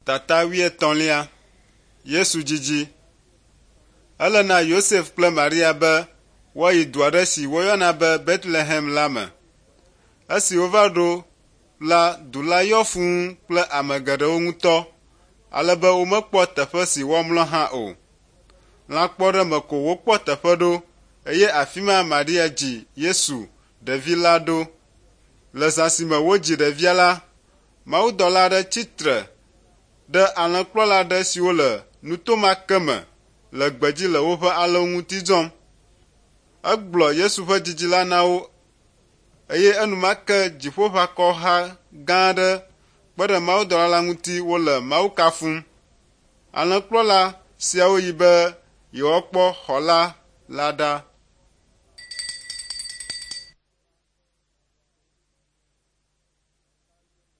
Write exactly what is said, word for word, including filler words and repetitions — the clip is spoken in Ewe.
Tata wuietɔ̃lia. Yesu dzidzi. Ele na Yosef kple Maria be woayi du aɖe si woyɔna be Betlehem la me. Esi wova ɖo la, du la yɔ fũu kple ame geɖewo ŋutɔ ale be womekpɔ teƒe si woamlɔ hã o. Lãkpɔɖeme ko wokpɔ teƒe ɖo eye afi ma Maria dzi Yesu, ɖevi la ɖo. Le zã si me wodzi ɖevia la, mawudɔla aɖe tsi tre ɖe alẽkplɔla aɖe siwo le nuto ma ke me le gbedzi le woƒe alẽwo ŋuti dzɔm. Egblɔ Yesu ƒe dzidzi la na wo eye enumake dziƒoʋakɔha gã aɖe kpe ɖe mawudɔla la ŋuti wole Mawu kafum. Alẽkplɔla siawo yi be yewoakpɔ xɔla la ɖa.